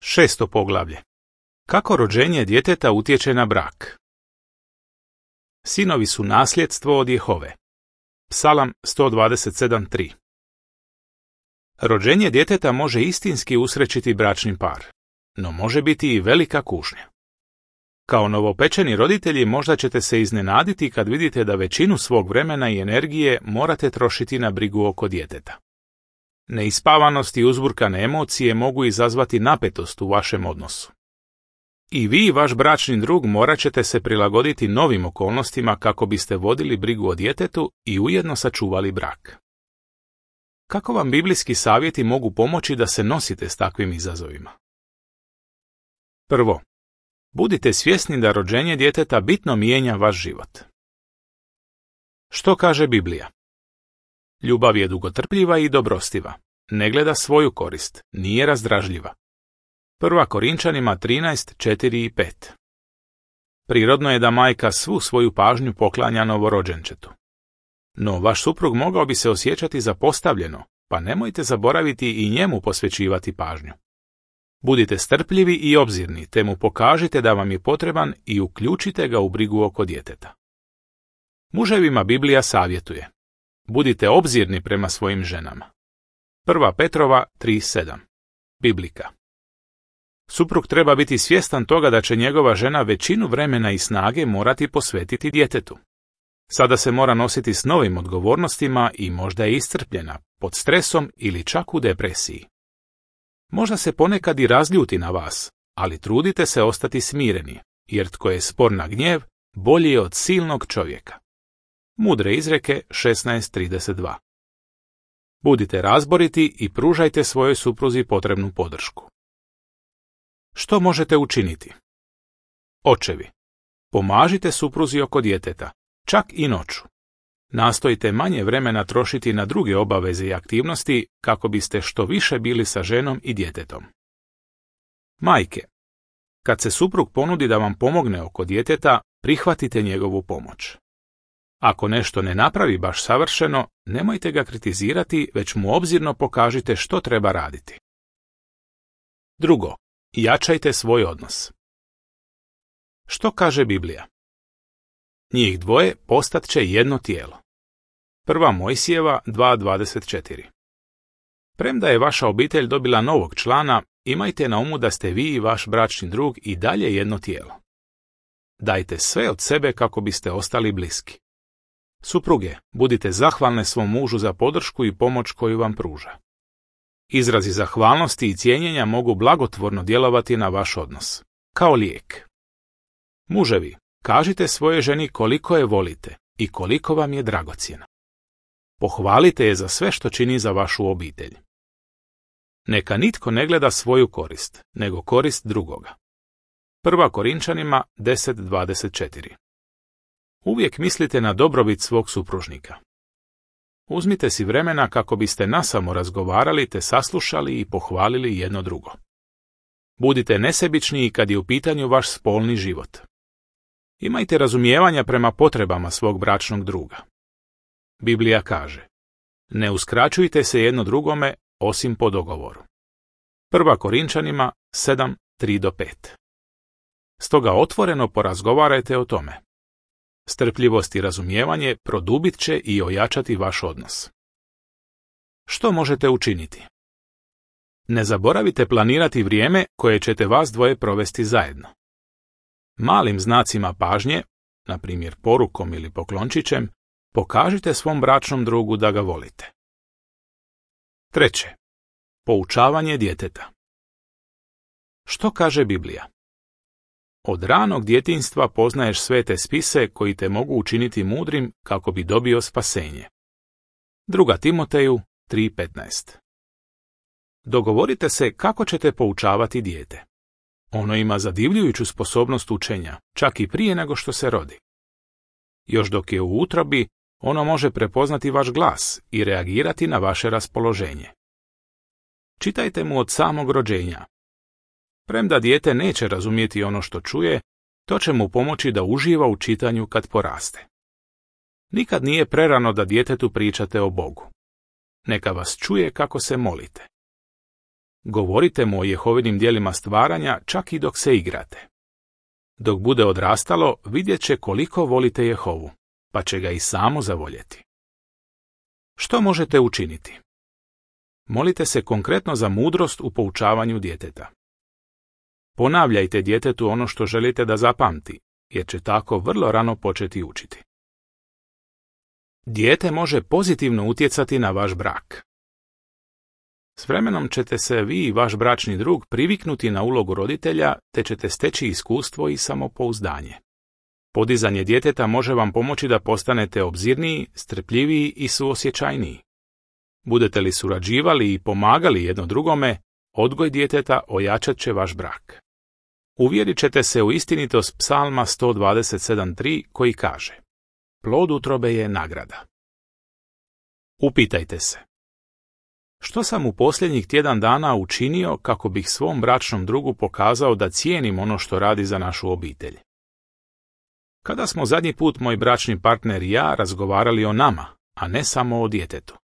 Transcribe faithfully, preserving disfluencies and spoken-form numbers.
Šesto poglavlje. Kako rođenje djeteta utječe na brak? Sinovi su nasljedstvo od Jehove. Psalam sto dvadeset sedam tri. Rođenje djeteta može istinski usrećiti bračni par, no može biti i velika kušnja. Kao novopečeni roditelji možda ćete se iznenaditi kad vidite da većinu svog vremena i energije morate trošiti na brigu oko djeteta. Neispavanost i uzburkane emocije mogu izazvati napetost u vašem odnosu. I vi i vaš bračni drug morat ćete se prilagoditi novim okolnostima kako biste vodili brigu o djetetu i ujedno sačuvali brak. Kako vam biblijski savjeti mogu pomoći da se nosite s takvim izazovima? Prvo, budite svjesni da rođenje djeteta bitno mijenja vaš život. Što kaže Biblija? Ljubav je dugotrpljiva i dobrostiva, ne gleda svoju korist, nije razdražljiva. Prva Korinčanima trinaest četiri i pet. Prirodno je da majka svu svoju pažnju poklanja novorođenčetu. No vaš suprug mogao bi se osjećati zapostavljeno, pa nemojte zaboraviti i njemu posvećivati pažnju. Budite strpljivi i obzirni, te mu pokažite da vam je potreban i uključite ga u brigu oko djeteta. Muževima Biblija savjetuje: budite obzirni prema svojim ženama. Prva Petrova tri sedam. Biblika. Suprug treba biti svjestan toga da će njegova žena većinu vremena i snage morati posvetiti djetetu. Sada se mora nositi s novim odgovornostima i možda je iscrpljena, pod stresom ili čak u depresiji. Možda se ponekad i razljuti na vas, ali trudite se ostati smireni, jer tko je spor na gnjev, bolji je od silnog čovjeka. Mudre izreke šesnaest trideset dva. Budite razboriti i pružajte svojoj supruzi potrebnu podršku. Što možete učiniti? Očevi, pomažite supruzi oko djeteta, čak i noću. Nastojite manje vremena trošiti na druge obaveze i aktivnosti kako biste što više bili sa ženom i djetetom. Majke, kad se suprug ponudi da vam pomogne oko djeteta, prihvatite njegovu pomoć. Ako nešto ne napravi baš savršeno, nemojte ga kritizirati, već mu obzirno pokažite što treba raditi. Drugo, jačajte svoj odnos. Što kaže Biblija? Njih dvoje postat će jedno tijelo. Prva Mojsijeva dva dvadeset četiri. Premda je vaša obitelj dobila novog člana, imajte na umu da ste vi i vaš bračni drug i dalje jedno tijelo. Dajte sve od sebe kako biste ostali bliski. Supruge, budite zahvalne svom mužu za podršku i pomoć koju vam pruža. Izrazi zahvalnosti i cijenjenja mogu blagotvorno djelovati na vaš odnos, kao lijek. Muževi, kažite svojoj ženi koliko je volite i koliko vam je dragocjena. Pohvalite je za sve što čini za vašu obitelj. Neka nitko ne gleda svoju korist, nego korist drugoga. Prva Korinčanima deset dvadeset četiri. Uvijek mislite na dobrobit svog supružnika. Uzmite si vremena kako biste nasamo razgovarali te saslušali i pohvalili jedno drugo. Budite nesebični i kad je u pitanju vaš spolni život. Imajte razumijevanja prema potrebama svog bračnog druga. Biblija kaže: ne uskraćujte se jedno drugome osim po dogovoru. Prva Korinčanima sedam tri do pet. Stoga otvoreno porazgovarajte o tome. Strpljivost i razumijevanje produbit će i ojačati vaš odnos. Što možete učiniti? Ne zaboravite planirati vrijeme koje ćete vas dvoje provesti zajedno. Malim znacima pažnje, na primjer porukom ili poklončićem, pokažite svom bračnom drugu da ga volite. Treće. Poučavanje djeteta. Što kaže Biblija? Od ranog djetinjstva poznaješ svete spise koji te mogu učiniti mudrim kako bi dobio spasenje. Druga Timoteju tri petnaest. Dogovorite se kako ćete poučavati dijete. Ono ima zadivljujuću sposobnost učenja, čak i prije nego što se rodi. Još dok je u utrobi, ono može prepoznati vaš glas i reagirati na vaše raspoloženje. Čitajte mu od samog rođenja. Premda dijete neće razumjeti ono što čuje, to će mu pomoći da uživa u čitanju kad poraste. Nikad nije prerano da djetetu pričate o Bogu. Neka vas čuje kako se molite. Govorite mu o Jehovinim djelima stvaranja čak i dok se igrate. Dok bude odrastalo, vidjet će koliko volite Jehovu, pa će ga i samo zavoljeti. Što možete učiniti? Molite se konkretno za mudrost u poučavanju djeteta. Ponavljajte djetetu ono što želite da zapamti, jer će tako vrlo rano početi učiti. Dijete može pozitivno utjecati na vaš brak. S vremenom ćete se vi i vaš bračni drug priviknuti na ulogu roditelja, te ćete steći iskustvo i samopouzdanje. Podizanje djeteta može vam pomoći da postanete obzirniji, strpljiviji i suosjećajniji. Budete li surađivali i pomagali jedno drugome, odgoj djeteta ojačat će vaš brak. Uvjerit ćete se u istinitost Psalma sto dvadeset sedam tri koji kaže: plod utrobe je nagrada. Upitajte se: što sam u posljednjih tjedan dana učinio kako bih svom bračnom drugu pokazao da cijenim ono što radi za našu obitelj? Kada smo zadnji put moj bračni partner i ja razgovarali o nama, a ne samo o djetetu?